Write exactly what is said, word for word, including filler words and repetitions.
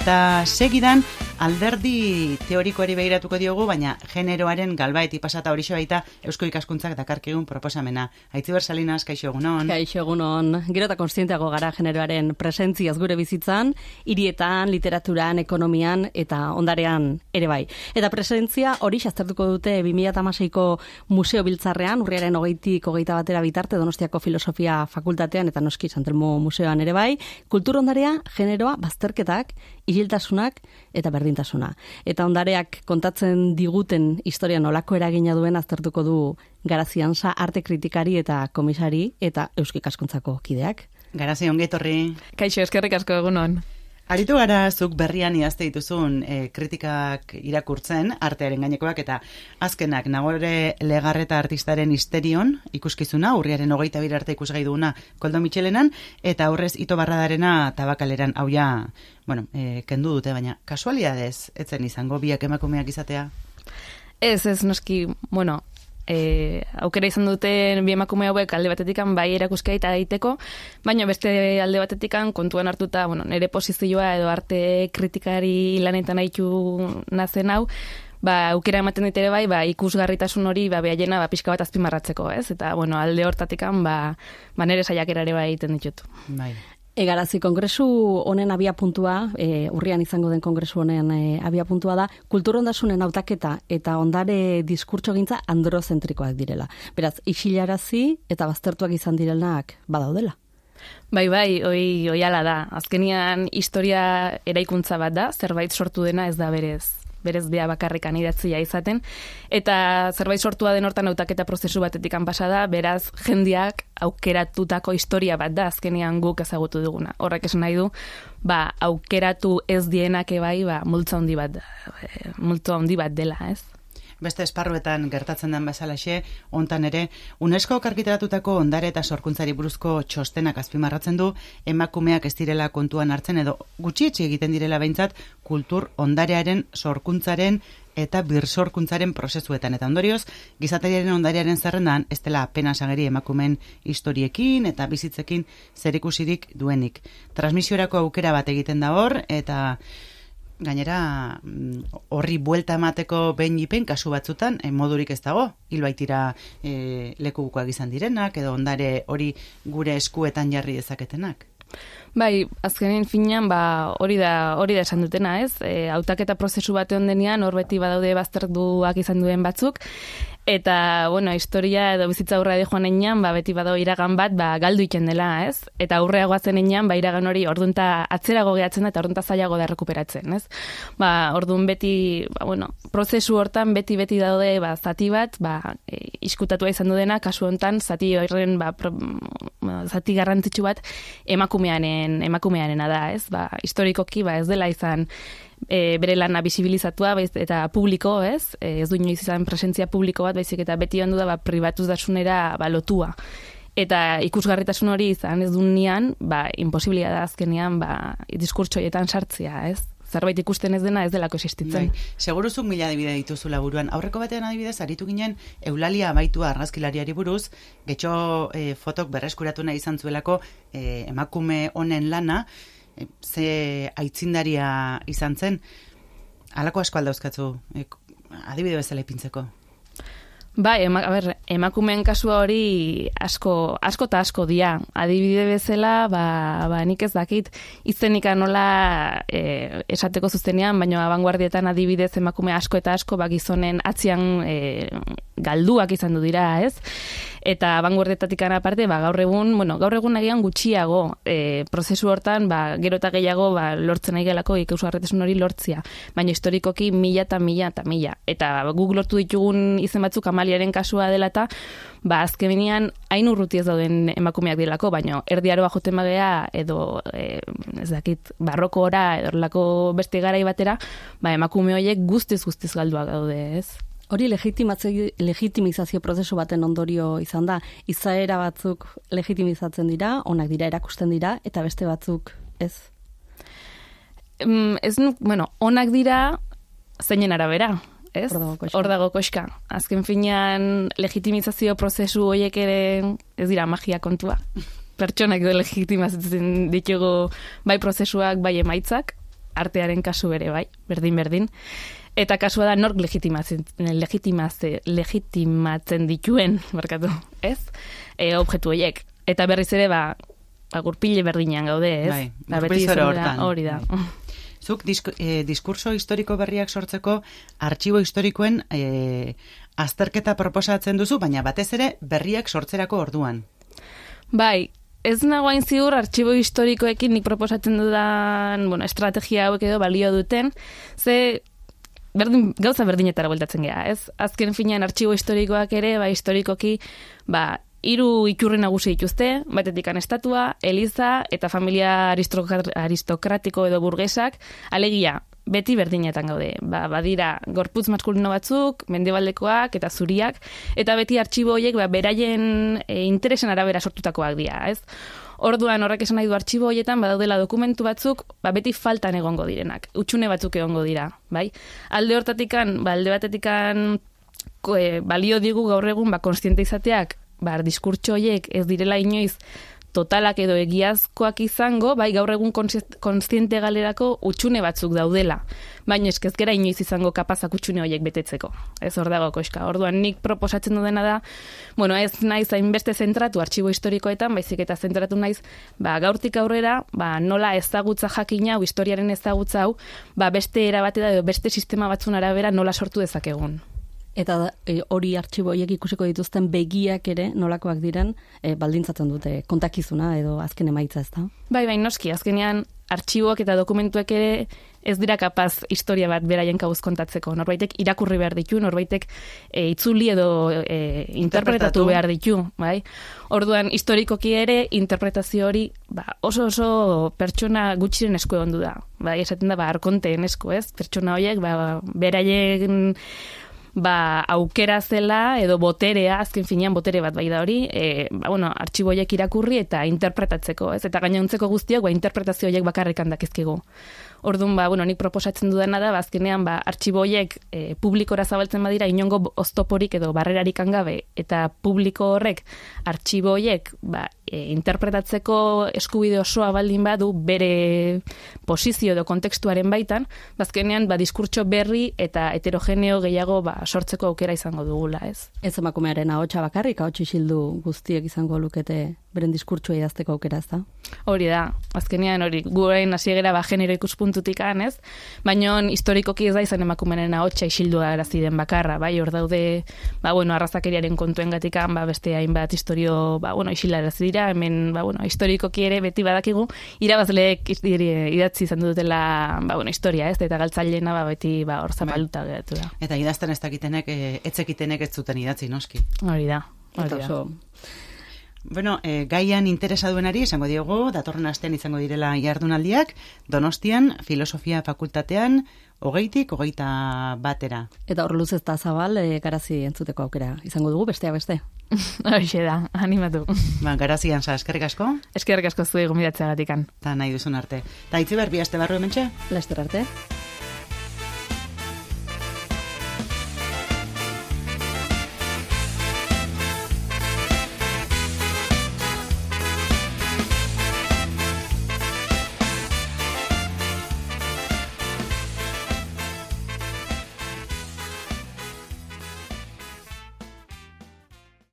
Eta segidan alderdi teorikoari begiratuko diogu, baina generoaren galbaeti pasata horixe baita Eusko Ikaskuntzak dakarkigun proposamena. Aitziber Salinas, kaixo egunon. Kaixo egunon. Gero eta konstienteago gara generoaren presentziaz gure bizitzan, hirietan, literaturan, ekonomian eta ondarean ere bai. Eta presentzia hori aztertuko dute bi mila hamaseiko museo biltzarrean, urriaren hogeitik hogeita batera bitarte Donostiako Filosofia Fakultatean eta noski Santelmo Museoan ere bai, kultur ondarea, generoa, bazterketak, isiltasunak eta berdintasuna. Eta ondareak kontatzen diguten historia nolako eragina duen aztertuko du Garazi Ansa arte kritikari eta komisari eta Eusko Ikaskuntzako kideak. Garazi, ongi etorri. Kaixo, eskerrik asko egunon. Aritu gara zuk berrian idazte dituzun e, kritikak irakurtzen, artearen gainekoak eta azkenak Nagore Legarreta artistaren histerion ikuskizuna, urriaren hogeita bir arte ikusgai duguna Koldo Mitxelenan, eta aurrez Ito Barradarena Tabakaleran, hau ja, bueno, e, kendu dute, baina kasualidadez, etzen izango biak emakumeak izatea? Ez, ez, noski, bueno, E, aukera izan duten bi emakume hauek alde batetikan bai erakuskai eta daiteko, baina beste alde batetikan kontuan hartuta, bueno, nire posizioa edo arte kritikari lanetan haitu nazen hau, ba, aukera ematen dit ere bai, ba, ikusgarritasun hori ba, behaiena ba, pixka bat azpimarratzeko, ez? Eta, bueno, alde hortatikan, ba, ba nire saiakera ere bai egiten ditut. Bai. Egarazi, kongresu honen abia puntua, e, urrian izango den kongresu honen e, abia puntua da, kulturondasunen hautaketa eta ondare diskurtso gintza androzentrikoak direla. Beraz, isilarazi eta baztertuak izan direnak badaudela. Bai, bai, oi, oi ala da. Azkenian historia eraikuntza bat da, zerbait sortu dena ez da berez. berez bea bakarrikan idatzia izaten, eta zerbait sortua den hortan hautaketa prozesu batetikan pasada, beraz jendeak aukeratutako historia bat da, azkenean guk ezagutu duguna. Horrek esan nahi du, ba, aukeratu ez dienak ebai, ba, multzo handi bat, multzo handi bat dela, ez? Beste esparruetan gertatzen den bezalaxe, hontan ere, UNESCOk argitaratutako ondare eta sorkuntzari buruzko txostenak azpimarratzen du, emakumeak ez direla kontuan hartzen edo gutxietxi egiten direla behintzat kultur ondarearen sorkuntzaren eta birsorkuntzaren prozesuetan. Eta ondorioz, gizateriaren ondarearen zerrendan, ez dela apenas ageri emakumeen historiekin eta bizitzekin zerikusirik duenik. Transmisiorako aukera bat egiten da hor, eta gainera, horri buelta emateko behin ipen, kasu batzutan, eh, modurik ez dago, hilbaitira eh, lekubukoak izan direnak, edo ondare hori gure eskuetan jarri dezaketenak. Bai, azkenen finean, ba, hori da, hori da esan dutena, ez? E, hautaketa prozesu bate ondenean, hor beti badaude bazterduak izan duen batzuk, eta, bueno, historia edo bizitza aurra de joan enean, ba, beti badau iragan bat, ba, galdu iten dela, ez? Eta aurreagoa zen enean, ba, iragan hori ordunta atzerago gehatzen da, eta ordunta zailago da rekuperatzen, ez? Ba, ordun beti, ba, bueno, prozesu hortan beti-beti daude, ba, zati bat, ba, e, iskutatua izan dudena, kasu hontan, zati horren, ba, pro, zati garrantzitsu bat, emakumearen, emakumearena da, ez? Ba, historikoki, ba, ez dela izan e, bere lana bisibilizatua, baiz, eta publiko, ez? E, ez du inoiz izan presentzia publiko bat, baizik eta beti ondu da, ba, pribatutasunera ba, lotua. Eta ikusgarritasun hori izan ez dunean, ba, imposibilia da azkenean, ba, diskurtsoietan sartzea, ez? Zerbait ikusten ez dena ez delako existitzen. Bai. Seguruzuk mila adibide dituzula buruan. Aurreko batean adibidez, aritu ginen Eulalia Abaitua argazkilariari buruz, getxo e, fotok berreskuratu nahi izan zuelako e, emakume honen lana, e, ze aitzindaria izan zen. Halako asko aldauzkatzu, e, adibide bezala ipintzeko. Bai, ema, a ber, emakumeen kasua hori asko, asko eta asko dia. Adibide bezala, ba, ba nik ez dakit, izenika nola e, esateko zuzenean, baina abanguardietan adibidez emakume asko eta asko ba, gizonen atzian e, galduak izan du dira, ez? Eta abanguardietatik aparte, ba, gaur egun, bueno, gaur egun nagian gutxiago e, prozesu hortan, ba, gero eta gehiago ba, lortzen nahi gelako ikusgarritasun hori lortzia. Baina historikoki mila eta mila eta mila. Eta ba, guk lortu ditugun izen batzuk Amaliaren kasua dela eta, ba, azkenean hain urruti ez dauden emakumeak direlako, baina erdiaroa joten bagea edo, e, ez dakit, barrokora edo lako beste garai batera, ba, emakume horiek guztiz guztiz galduak daude, ez? Hori legitimizazio prozesu baten ondorio izan da. Izaera batzuk legitimizatzen dira, onak dira erakusten dira, eta beste batzuk ez? Mm, ez nu, bueno, onak dira zeinen arabera, ez? Hor dago koxka. Azken finean legitimizazio prozesu horiek ere ez dira magia kontua. Pertsonak legitimizatzen ditugu bai prozesuak, bai emaitzak, artearen kasu ere, bai, berdin-berdin. Eta kasua da nork legitimatzen, legitimatzen, legitimatzen dituen, markatu, ez? E, objektu horiek. Eta berriz ere, ba, ba gurpile berdinean gaude, ez? Bai, ba, beti gurpil hortan. Hori da. Bai. Zuk disk, eh, diskurso historiko berriak sortzeko artxibo historikoen eh, azterketa proposatzen duzu, baina batez ere berriak sortzerako orduan. Bai, ez nagoain ziur artxibo historikoekin nik proposatzen dudan, bueno, estrategia hauek edo balio duten, ze berdin, gauza berdinetara bueltatzen geha, ez? Azken finean artxibo historikoak ere, ba, historikoki, ba, hiru iturri nagusi dituzte, batetik estatua, eliza eta familia aristokratiko edo burgesak, alegia, beti berdinetan gaude. Ba, badira gorputz maskulino batzuk, mendebaldekoak eta zuriak, eta beti artxibo horiek ba, beraien e, interesen arabera sortutakoak dira, ez? Orduan horrek esan nahi du artxibo horietan badaudela dokumentu batzuk, ba, beti faltan egongo direnak, utxune batzuk egongo dira, bai? Alde hortatikan, ba, alde batetikan ko, e, balio digu gaur egun ba, konstiente izateak, ba, diskurtso horiek ez direla inoiz totalak edo egiazkoak izango, bai gaur egun kontziente galerako utxune batzuk daudela, baina eskez gera inoiz izango kapazak utxune horiek betetzeko. Ez hor dago koska. Orduan nik proposatzen dudena da, bueno, ez naiz hainbeste zentratu artxibo historikoetan, baizik eta zentratu naiz, ba, gaurtik aurrera, ba, nola ezagutza jakina, hau, historiaren ezagutza hau, ba, beste erabate da, beste sistema batzun arabera nola sortu dezakegun. Eta e, hori artxibo horiek ikusiko dituzten begiak ere nolakoak diren e, baldintzatzen dute kontakizuna edo azken emaitza, ez da? Bai, bai, noski, azkenean artxiboak eta dokumentuak ere ez dira kapaz historia bat beraien kabuz kontatzeko. Norbaitek irakurri behar ditu, norbaitek e, itzuli edo e, interpretatu behar ditu, bai? Orduan, historikoki ere, interpretazio hori ba, oso oso pertsona gutxiren esku egon du da. Bai, esaten da, ba, arkonteen esku, ez? Pertsona horiek, ba, beraien ba, aukera zela edo boterea, azken finean botere bat bai da hori, e, ba, bueno, artxiboiek irakurri eta interpretatzeko, ez? Eta gainontzeko guztiak, ba, interpretazio horiek bakarrik handakizkigu. Orduan, ba, bueno, nik proposatzen dudana da, ba, azkenean, ba, artxiboiek e, publikora zabaltzen badira, inongo oztoporik edo barrerarik angabe, eta publiko horrek artxiboiek, ba, e, interpretatzeko eskubide osoa baldin badu bere posizio edo kontekstuaren baitan, bazkenean, ba, diskurtso berri eta heterogeneo gehiago ba, sortzeko aukera izango dugula, ez? Ez emakumearen ahotsa bakarrik, ahots isildu guztiek izango lukete beren diskurtsoa idazteko aukera, ez da? Hori da, azkenean hori, gurein hasiegera ba, genero ikuspuntutik ez? Baina historikoki ez da izan emakumearen ahotsa isildu arazi den bakarra, bai, hor daude, ba, bueno, arrazakeriaren kontuen gatikan, ba, beste hainbat historio, ba, bueno, isilarazi dira, hemen, ba, bueno, historikoki ere beti badakigu, irabazleek idatzi izan dutela, ba, bueno, historia, ez? Eta galtzailena, ba, beti, ba, hor zapaluta geratu da. Eta idazten ez dakitenek, etzekitenek ez zuten idatzi, noski. Hori da, hori da. Bueno, eh, gaian interesa duenari, esango diogu, datorren astean izango direla jardunaldiak, Donostian, filosofia fakultatean, hogeitik, hogeita batera. Eta hor luz ez da zabal, e, garazi entzuteko aukera izango dugu, bestea beste. Hoxe da, animatu. Ba, garazian za, eskerrik asko? Eskerrik asko zuei gomidatzea gatikan. Ta nahi duzun arte. Ta itzi behar, bi aste barru hementxe? Laster arte.